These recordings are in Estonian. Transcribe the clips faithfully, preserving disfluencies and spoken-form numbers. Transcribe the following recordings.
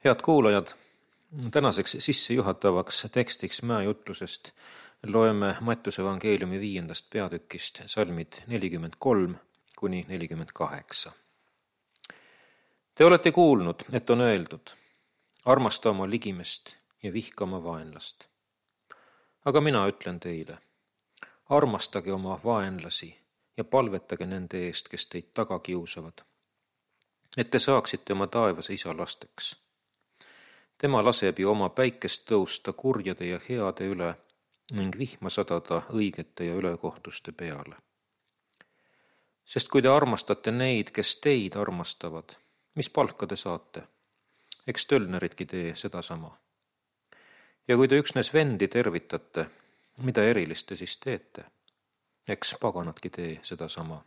Head kuulajad, tänaseks sissejuhatavaks tekstiks mäejutlusest loeme Mattiuse evangeeliumi viiendast peatükist salmid nelikümmend kolm kuni nelikümmend kaheksa. Te olete kuulnud, et on öeldud, armasta oma ligimest ja vihka oma vaenlast. Aga mina ütlen teile, armastage oma vaenlasi ja palvetage nende eest, kes teid taga kiusavad, et te saaksite oma taevase isa lasteks. Tema laseb ju oma päikest tõusta kurjade ja heade üle ning vihma sadada õigete ja ülekohtuste peale. Sest kui te armastate neid, kes teid armastavad, mis palka te saate? Eks tölneridki tee sedasama. Ja kui te üksnes vendi tervitate, mida erilist te siis teete? Eks paganadki tee sedasama.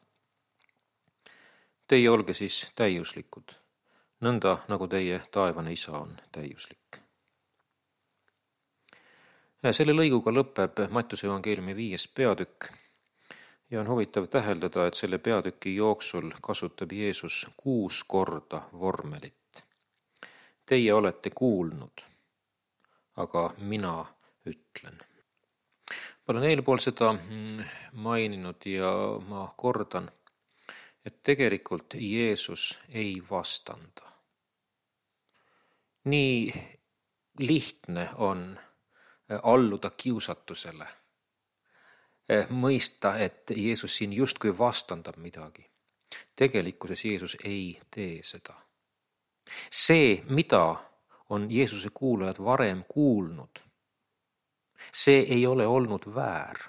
Teie olge siis täiuslikud, nõnda nagu teie taevane isa on täiuslik. Selle lõiguga lõpeb Mattiuse evangeeliumi viies peatükk ja on huvitav täheldada, et selle peatüki jooksul kasutab Jeesus kuus korda vormelit. Teie olete kuulnud, aga mina ütlen. Ma olen eelpool seda maininud ja ma kordan, et tegelikult Jeesus ei vastanda. Nii lihtne on alluda kiusatusele, mõista, et Jeesus siin justkui vastandab midagi. Tegelikkuses Jeesus ei tee seda. See, mida on Jeesuse kuulajad varem kuulnud, see ei ole olnud väär,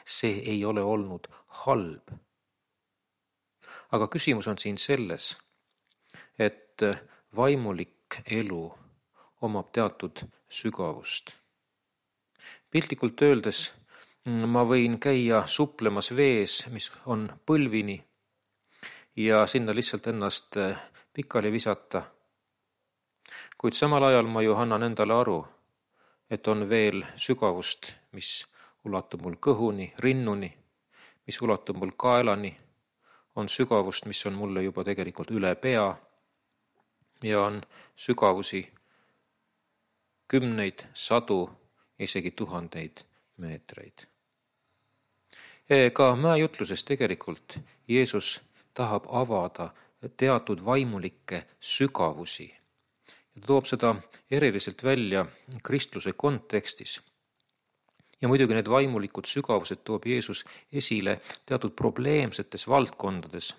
see ei ole olnud halb. Aga küsimus on siin selles, et vaimulik elu omab teatud sügavust. Piltlikult öeldes ma võin käia suplemas vees, mis on põlvini, ja sinna lihtsalt ennast pikali visata. Kuid samal ajal ma ju annan endale aru, et on veel sügavust, mis ulatub mul kõhuni, rinnuni, mis ulatub mul kaelani, on sügavust, mis on mulle juba tegelikult üle pea ja on sügavusi kümneid, sadu, isegi tuhandeid meetreid. Ka mäejutluses tegelikult Jeesus tahab avada teatud vaimulikke sügavusi. Ta toob seda eriliselt välja kristluse kontekstis. Ja muidugi need vaimulikud sügavused toob Jeesus esile teatud probleemsetes valdkondades,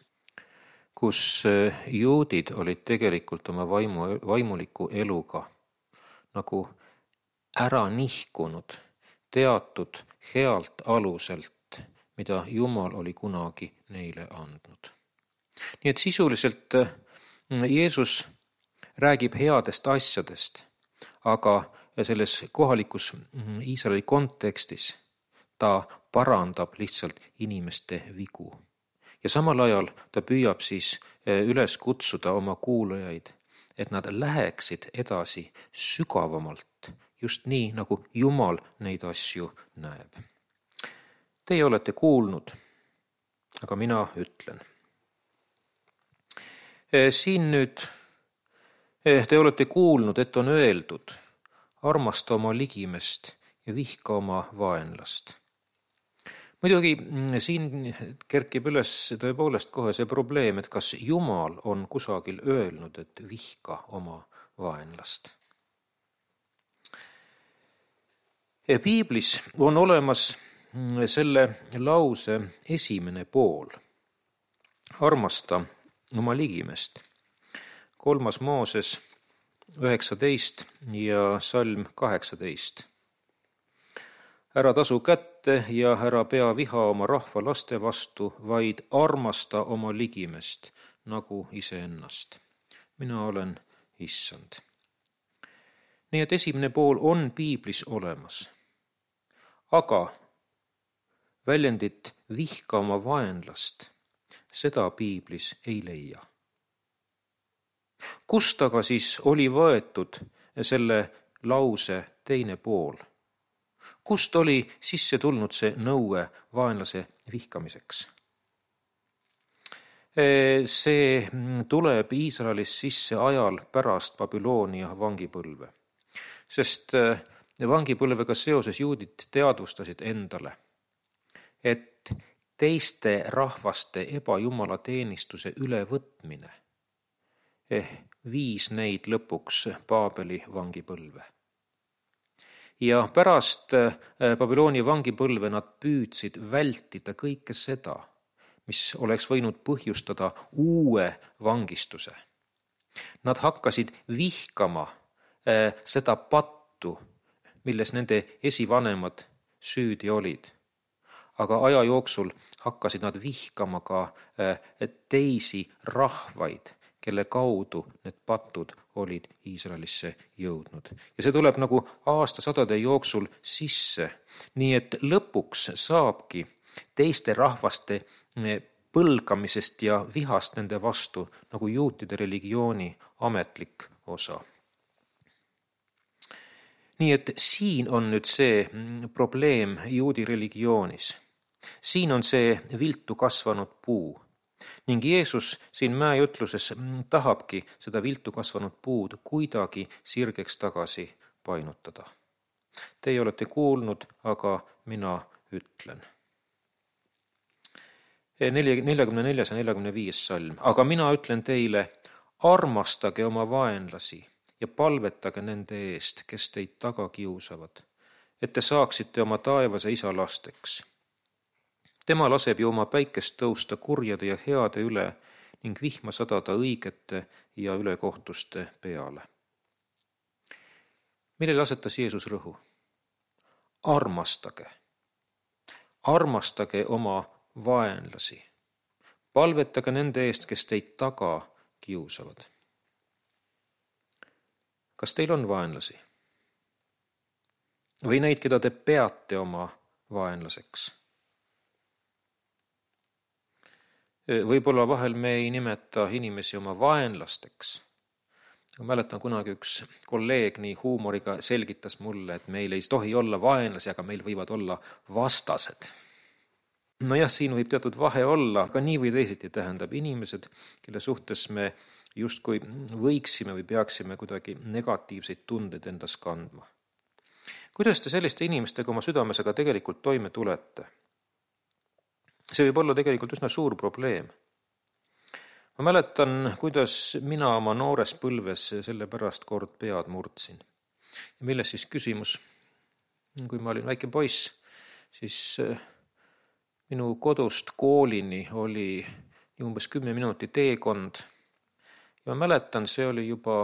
kus juudid olid tegelikult oma vaimu, vaimuliku eluga nagu ära nihkunud teatud healt aluselt, mida Jumal oli kunagi neile andnud. Nii et sisuliselt Jeesus räägib headest asjadest, aga selles kohalikus Iisraeli kontekstis ta parandab lihtsalt inimeste vigu. Ja samal ajal ta püüab siis üles kutsuda oma kuulajaid, et nad läheksid edasi sügavamalt, just nii, nagu Jumal neid asju näeb. Teie olete kuulnud, aga mina ütlen. Siin nüüd te olete kuulnud, et on öeldud, armasta oma ligimest ja vihka oma vaenlast. Muidugi siin kerkib üles tõepoolest kohe see probleem, et kas Jumal on kusagil öelnud, et vihka oma vaenlast. Ja Piiblis on olemas selle lause esimene pool. Armasta oma ligimest. Kolmas Mooses üheksateist ja salm kaheksateist. Ära tasu kätte ja ära pea viha oma rahva laste vastu, vaid armasta oma ligimest nagu iseennast. Mina olen issand. Nii et esimene pool on Piiblis olemas. Aga väljendit vihka oma vaenlast, seda Piiblis ei leia. Kust aga siis oli võetud selle lause teine pool? Kust oli sisse tulnud see nõue vaenlase vihkamiseks? See tuleb Iisraelis sisse ajal pärast Babyloonia vangipõlve, sest vangipõlvega seoses juudid teadvustasid endale, et teiste rahvaste ebajumalateenistuse ülevõtmine viis neid lõpuks Paabeli vangipõlve. Ja pärast Babyloonia vangipõlve nad püüdsid vältida kõike seda, mis oleks võinud põhjustada uue vangistuse. Nad hakkasid vihkama seda pattu, milles nende esivanemad süüdi olid. Aga aja jooksul hakkasid nad vihkama ka teisi rahvaid, kelle kaudu need patud olid Iisraelisse jõudnud. Ja see tuleb nagu aastasadade jooksul sisse, nii et lõpuks saabki teiste rahvaste põlgamisest ja vihast nende vastu nagu juutide religiooni ametlik osa. Nii et siin on nüüd see probleem juudi religioonis. Siin on see viltu kasvanud puu. Ning Jeesus siin mäejutluses tahabki seda viltu kasvanud puud kuidagi sirgeks tagasi painutada. Teie olete kuulnud, aga mina ütlen. neljakümne neljas ja neljakümne viies salm. Aga mina ütlen teile, armastage oma vaenlasi ja palvetage nende eest, kes teid taga kiusavad, et te saaksite oma taevase isa lasteks. Tema laseb ju oma päikest tõusta kurjade ja heade üle ning vihma sadada õigete ja ülekohtuste peale. Millele asetas Jeesus rõhu? Armastage. Armastage oma vaenlasi. Palvetage nende eest, kes teid taga kiusavad. Kas teil on vaenlasi? Või neid, keda te peate oma vaenlaseks? Võib-olla vahel me ei nimeta inimesi oma vaenlasteks. Ma mäletan kunagi üks kolleeg nii huumoriga selgitas mulle, et meil ei tohi olla vaenlasi, aga meil võivad olla vastased. No jah, siin võib teatud vahe olla, aga nii või teisiti tähendab inimesed, kelle suhtes me justkui võiksime või peaksime kuidagi negatiivseid tundeid endas kandma. Kuidas te selliste inimestega oma südames aga tegelikult toime tulete? See võib olla tegelikult üsna suur probleem. Ma mäletan, kuidas mina oma noores põlves selle pärast kord pead murdsin. Ja milles siis küsimus? Kui ma olin väike poiss, siis minu kodust koolini oli umbes kümme minuti teekond. Ja ma mäletan, see oli juba,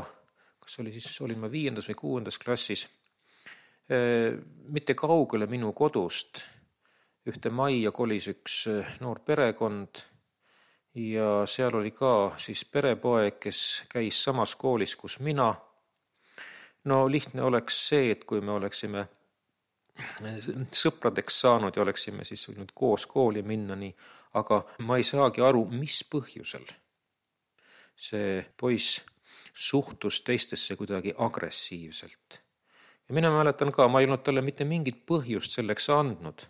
kas oli siis, olin ma viiendas või kuuendas klassis, mitte kaugele minu kodust. Ühte majja kolis üks noor perekond ja seal oli ka siis perepoeg, kes käis samas koolis, kus mina. No lihtne oleks see, et kui me oleksime sõpradeks saanud ja oleksime siis võinud koos kooli minna nii, aga ma ei saagi aru, mis põhjusel see poiss suhtus teistesse kuidagi agressiivselt. Ja mina mäletan ka, ma ei olnud talle mitte mingit põhjust selleks andnud.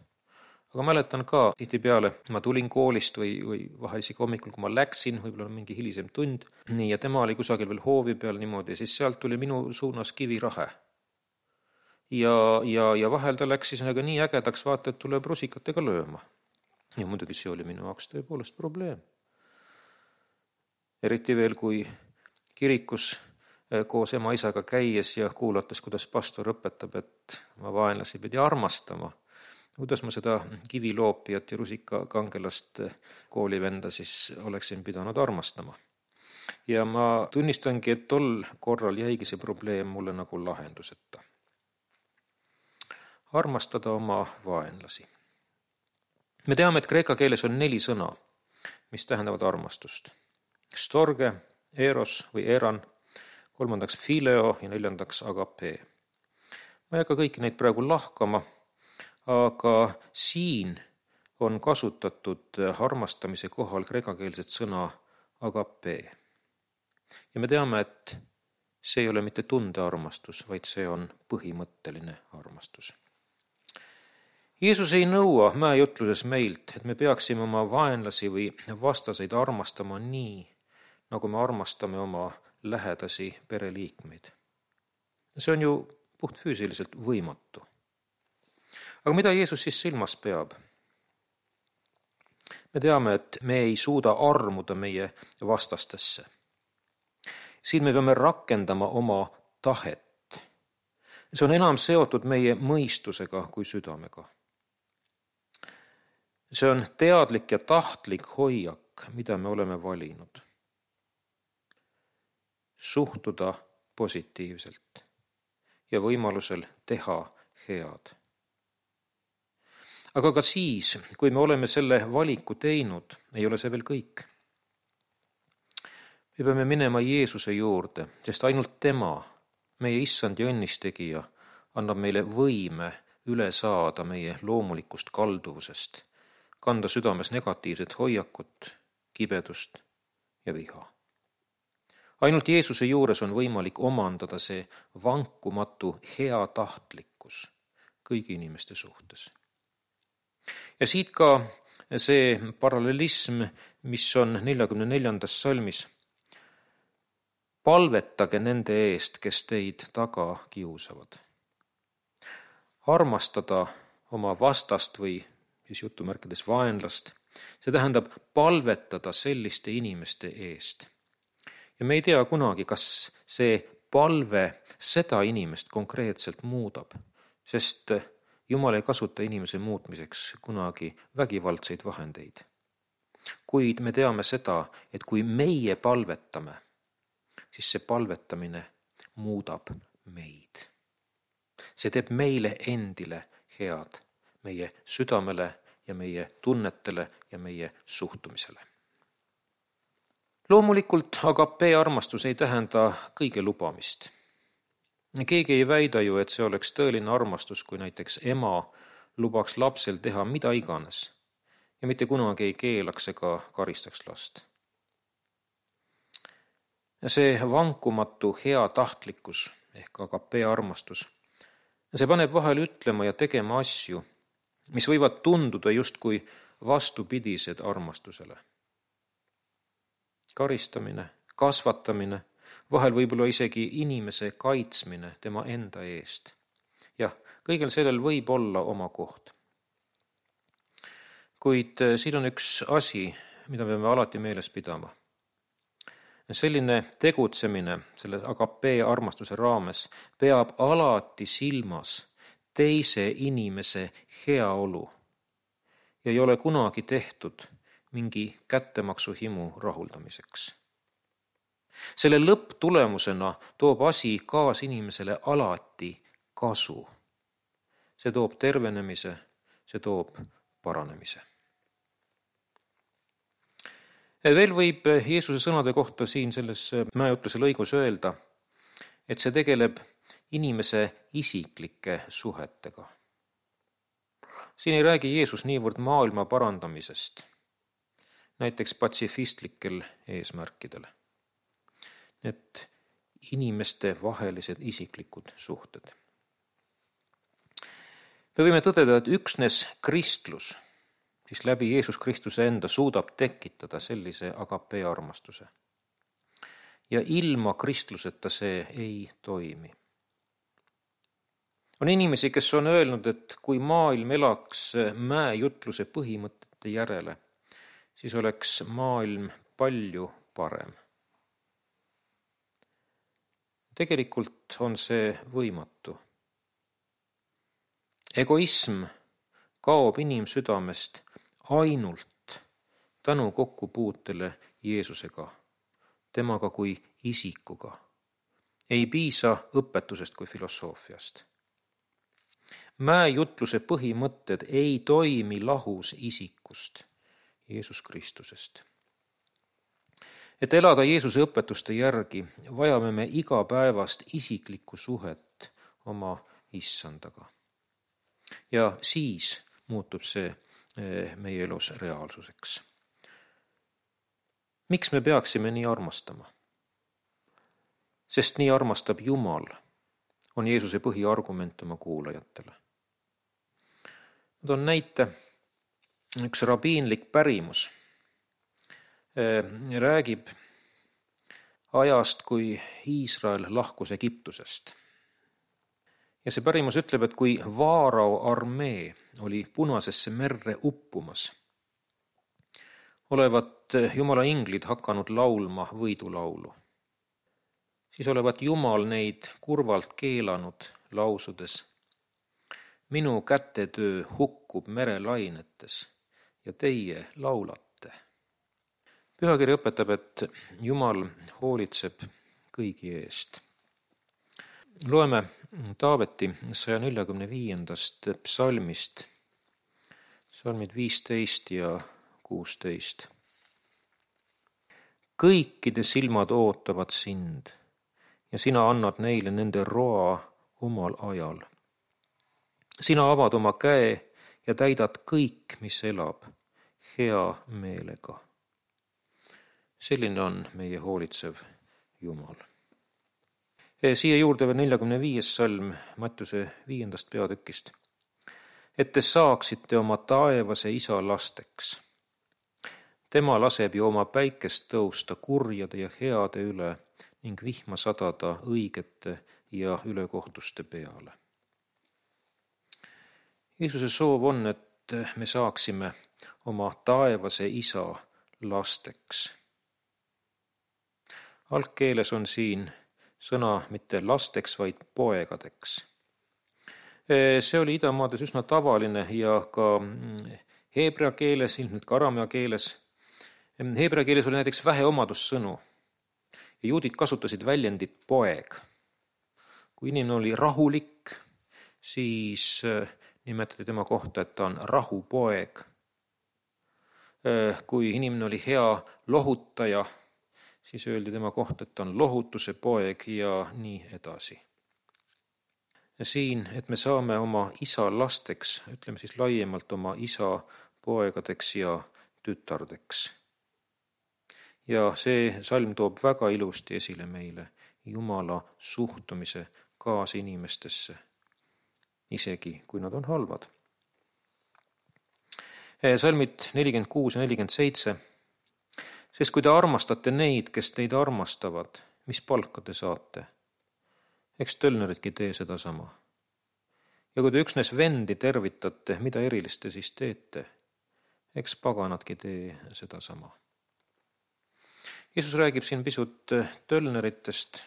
Aga mäletan ka, tihtipeale ma tulin koolist või, või vahel isegi hommikul, kui ma läksin, võib-olla mingi hilisem tund, nii ja tema oli kusagil veel hoovi peal niimoodi, siis sealt tuli minu suunas kivirahe. Ja, ja, ja vahel ta läks siis nagu nii ägedaks vaata, et tuleb rusikatega lööma. Ja muidugi see oli minu jaoks tõepoolest probleem. Eriti veel, kui kirikus koos ema isaga käies ja kuulates, kuidas pastor õpetab, et ma vaenlasi pidi armastama. Kuidas ma seda kiviloopijat ja rusikakangelast koolivenda siis oleksin pidanud armastama. Ja ma tunnistangi, et tol korral jäigi see probleem mulle nagu lahenduseta. Armastada oma vaenlasi. Me teame, et kreeka keeles on neli sõna, mis tähendavad armastust. Storge, eros või eran, kolmandaks fileo ja neljandaks agape. Ma ei hakka kõiki neid praegu lahkama, aga siin on kasutatud armastamise kohal kreekakeelset sõna agape. Ja me teame, et see ei ole mitte tundearmastus, vaid see on põhimõtteline armastus. Jeesus ei nõua mäejutluses meilt, et me peaksime oma vaenlasi või vastaseid armastama nii, nagu me armastame oma lähedasi pereliikmeid. See on ju puhtfüüsiliselt võimatu. Aga mida Jeesus siis silmas peab? Me teame, et me ei suuda armuda meie vastastesse. Siin me peame rakendama oma tahet. See on enam seotud meie mõistusega kui südamega. See on teadlik ja tahtlik hoiak, mida me oleme valinud. Suhtuda positiivselt ja võimalusel teha head. Aga ka siis, kui me oleme selle valiku teinud, ei ole see veel kõik. Me peame minema Jeesuse juurde, sest ainult tema, meie issand ja õnnistegija, annab meile võime üle saada meie loomulikust kalduvusest, kanda südames negatiivset hoiakut, kibedust ja viha. Ainult Jeesuse juures on võimalik omandada see vankumatu hea tahtlikkus kõigi inimeste suhtes. Ja siit ka see parallelism, mis on neljakümne neljandas salmis. Palvetage nende eest, kes teid taga kiusavad. Armastada oma vastast või siis jutumärkides vaenlast, see tähendab palvetada selliste inimeste eest. Ja me ei tea kunagi, kas see palve seda inimest konkreetselt muudab, sest Jumal ei kasuta inimese muutmiseks kunagi vägivaldseid vahendeid. Kuid me teame seda, et kui meie palvetame, siis see palvetamine muudab meid. See teeb meile endile head, meie südamele ja meie tunnetele ja meie suhtumisele. Loomulikult agapee armastus ei tähenda kõige lubamist. Keegi ei väida ju, et see oleks tõeline armastus, kui näiteks ema lubaks lapsel teha mida iganes ja mitte kunagi ei keelaks ega karistaks last. See vankumatu hea tahtlikkus ehk agapee armastus, see paneb vahel ütlema ja tegema asju, mis võivad tunduda justkui vastupidised armastusele. Karistamine, kasvatamine, vahel võib-olla isegi inimese kaitsmine tema enda eest. Jah, kõigel sellel võib olla oma koht. Kuid siin on üks asi, mida me peame alati meeles pidama. Selline tegutsemine selle agapee armastuse raames peab alati silmas teise inimese heaolu ja ei ole kunagi tehtud mingi kättemaksuhimu rahuldamiseks. Selle lõpptulemusena toob asi kaas inimesele alati kasu. See toob tervenemise, see toob paranemise. Veel võib Jeesuse sõnade kohta siin selles mäejutluse lõigus öelda, et see tegeleb inimese isiklike suhetega. Siin ei räägi Jeesus niivõrd maailma parandamisest, näiteks patsifistlikel eesmärkidel. Need inimeste vahelised isiklikud suhted. Me võime tõdeda, et üksnes kristlus, siis läbi Jeesus Kristuse enda suudab tekitada sellise agapee armastuse. Ja ilma kristluseta see ei toimi. On inimesi, kes on öelnud, et kui maailm elaks mäejutluse põhimõtete järele, siis oleks maailm palju parem. Tegelikult on see võimatu. Egoism kaob inimsüdamest ainult tänu kokkupuutele Jeesusega, temaga kui isikuga. Ei piisa õpetusest kui filosoofiast. Mäejutluse põhimõtted ei toimi lahus isikust, Jeesus Kristusest. Et elada Jeesuse õpetuste järgi, vajame me igapäevast isiklikku suhet oma issandaga. Ja siis muutub see meie elus reaalsuseks. Miks me peaksime nii armastama? Sest nii armastab Jumal, on Jeesuse põhiargument oma kuulajatele. Ma toon näite, üks rabiinlik pärimus räägib ajast, kui Iisrael lahkus Egiptusest. Ja see pärimus ütleb, et kui Vaarao armee oli Punasesse merre uppumas, olevat Jumala inglid hakanud laulma võidulaulu. Siis olevat Jumal neid kurvalt keelanud lausudes: minu kätetöö hukkub merelainetes ja teie laulate. Pühakiri õpetab, et Jumal hoolitseb kõigi eest. Loeme Taaveti saja neljakümne viiendast psalmist, psalmid viisteist ja kuusteist. Kõikide silmad ootavad sind ja sina annad neile nende roa omal ajal. Sina avad oma käe ja täidad kõik, mis elab, hea meelega. Selline on meie hoolitsev Jumal. Siia juurde veel neljakümne viies salm Mattiuse viiendast peatükist. Et te saaksite oma taevase isa lasteks. Tema laseb ju oma päikest tõusta kurjade ja heade üle ning vihma sadada õigete ja ülekohtuste peale. Jeesuse soov on, et me saaksime oma taevase isa lasteks. Algkeeles on siin sõna mitte lasteks, vaid poegadeks. See oli idamaades üsna tavaline ja ka heebrea keeles, ilmselt ka aramea keeles. Heebrea keeles oli näiteks vähe omadussõnu ja juudid kasutasid väljendit poeg. Kui inimene oli rahulik, siis nimetati tema kohta, et ta on rahupoeg. Kui inimene oli hea lohutaja, siis öeldi tema kohta, et ta on lohutuse poeg ja nii edasi. Ja siin, et me saame oma isa lasteks, ütleme siis laiemalt oma isa poegadeks ja tütardeks. Ja see salm toob väga ilusti esile meile Jumala suhtumise kaasinimestesse, isegi kui nad on halvad. Salmid nelikümmend kuus ja nelikümmend seitse. Sest kui te armastate neid, kes teid armastavad, mis palka te saate? Eks tölneridki tee seda sama. Ja kui te üksnes vendi tervitate, mida erilist te siis teete? Eks paganadki tee seda sama. Jeesus räägib siin pisut tölneritest.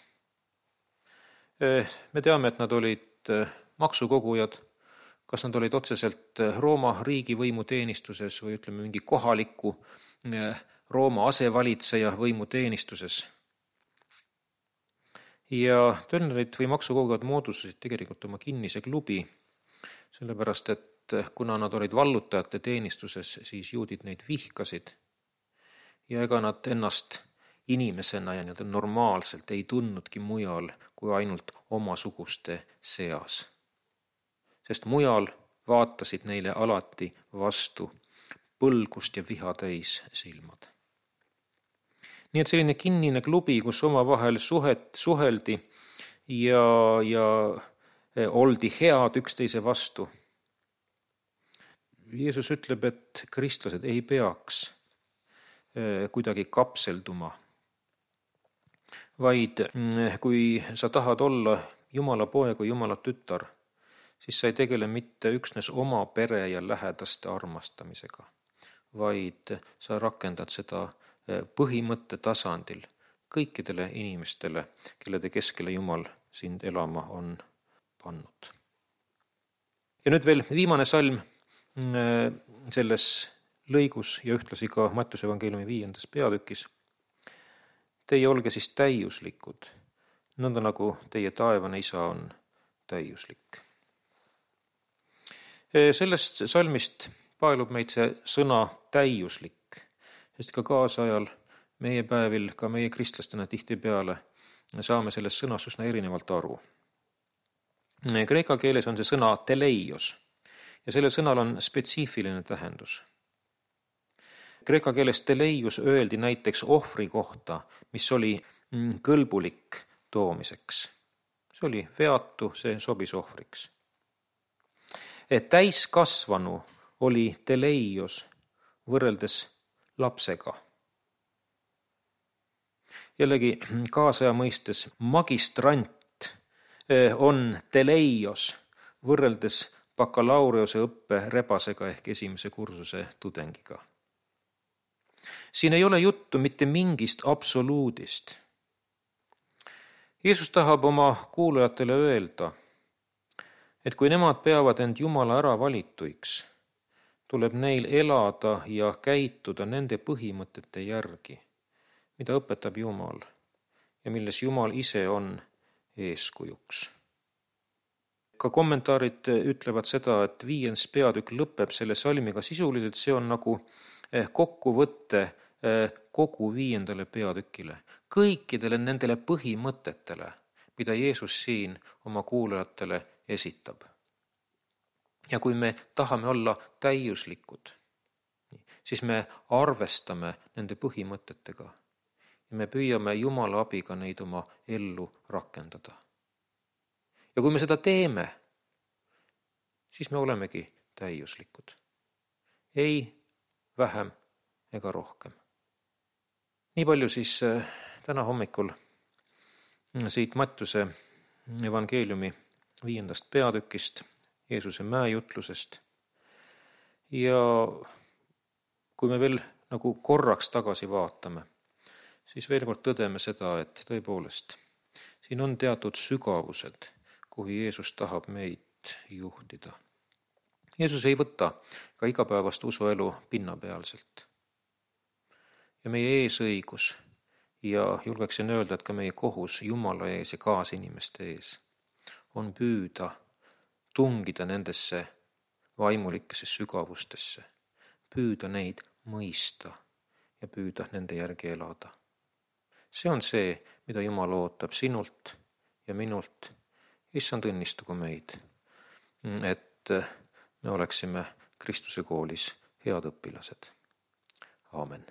Me teame, et nad olid maksukogujad, kas nad olid otseselt Rooma riigivõimu teenistuses või ütleme mingi kohaliku Rooma asevalitseja võimu teenistuses. Ja tölnerid või maksukogujad moodustasid tegelikult oma kinnise klubi, sellepärast et kuna nad olid vallutajate teenistuses, siis juudid neid vihkasid ja ega nad ennast inimesena ja nii-öelda normaalselt ei tundnudki mujal kui ainult omasuguste seas. Sest mujal vaatasid neile alati vastu põlgust ja viha täis silmad. Nii et selline kinnine klubi, kus omavahel suhet, suheldi ja, ja oldi head üksteise vastu. Jeesus ütleb, et kristlased ei peaks kuidagi kapselduma, vaid kui sa tahad olla Jumala poeg või Jumala tütar, siis sa ei tegele mitte üksnes oma pere ja lähedaste armastamisega, vaid sa rakendad seda põhimõtte tasandil kõikidele inimestele, kellede keskele Jumal sind elama on pannud. Ja nüüd veel viimane salm selles lõigus ja ühtlasi ka Mattiuse evangeeliumi viiendas peatükis. Teie olge siis täiuslikud, nõnda nagu teie taevane isa on täiuslik. Sellest salmist paelub meid see sõna täiuslik, sest ka kaasajal meie päevil, ka meie kristlastena tihtipeale saame sellest sõnast üsna erinevalt aru. Kreeka keeles on see sõna teleios ja sellel sõnal on spetsiifiline tähendus. Kreeka keeles teleios öeldi näiteks ohvri kohta, mis oli kõlbulik toomiseks. See oli veatu, see sobis ohvriks. täiskasvanu oli teleios võrreldes lapsega. Jällegi kaasaja mõistes magistrant on teleios võrreldes bakalaureuse õppe rebasega ehk esimese kursuse tudengiga. Siin ei ole juttu mitte mingist absoluudist. Jeesus tahab oma kuulajatele öelda, et kui nemad peavad end Jumala ära valituiks, tuleb neil elada ja käituda nende põhimõtete järgi, mida õpetab Jumal ja milles Jumal ise on eeskujuks. Ka kommentaarid ütlevad seda, et viies peatükk lõpeb selle salmiga sisuliselt, see on nagu kokkuvõtte kogu viiendale peatükile, kõikidele nendele põhimõtetele, mida Jeesus siin oma kuulajatele esitab. Ja kui me tahame olla täiuslikud, siis me arvestame nende põhimõtetega ja me püüame Jumala abiga neid oma ellu rakendada. Ja kui me seda teeme, siis me olemegi täiuslikud. Ei vähem ega rohkem. Nii palju siis täna hommikul siit Mattuse evangeeliumi viiendast peatükist, Jeesuse mäejutlusest. Ja kui me veel nagu korraks tagasi vaatame, siis veel kord tõdeme seda, et tõepoolest siin on teatud sügavused, kuhu Jeesus tahab meid juhtida. Jeesus ei võta ka igapäevast usuelu pinnapealselt. Ja meie eesõigus ja julgeksin öelda, et ka meie kohus Jumala ees ja kaasinimeste ees on püüda tungida nendesse vaimulikesse sügavustesse, püüda neid mõista ja püüda nende järgi elada. See on see, mida Jumal ootab sinult ja minult. Issand, õnnistagu meid, et me oleksime Kristuse koolis head õpilased. Aamen.